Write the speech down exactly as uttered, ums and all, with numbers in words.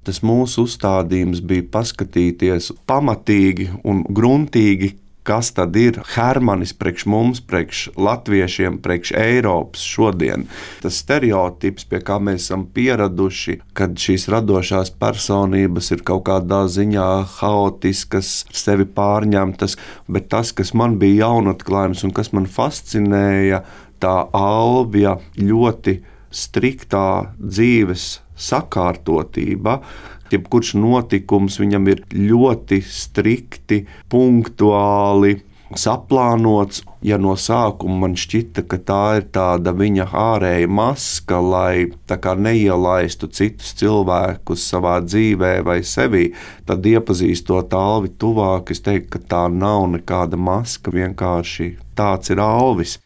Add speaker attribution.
Speaker 1: Tas mūsu uzstādījums bija paskatīties pamatīgi un gruntīgi, kas tad ir Hermanis priekš mums, priekš latviešiem, priekš Eiropas šodien. Tas stereotips, pie kā mēs esam pieraduši, kad šīs radošās personības ir kaut kādā ziņā haotiskas, sevi pārņemtas, bet tas, kas man bija jaunatklājums un kas man fascinēja, tā Alvija ļoti striktā dzīves sakārtotība. Jebkurš notikums viņam ir ļoti strikti, punktuāli saplānots. Ja no sākuma man šķita, ka tā ir tāda viņa ārēja maska, lai tā kā neielaistu citus cilvēkus savā dzīvē vai sevī, tad iepazīstot Alvi tuvāk, es teiktu, ka tā nav nekāda maska, vienkārši tāds ir Alvis.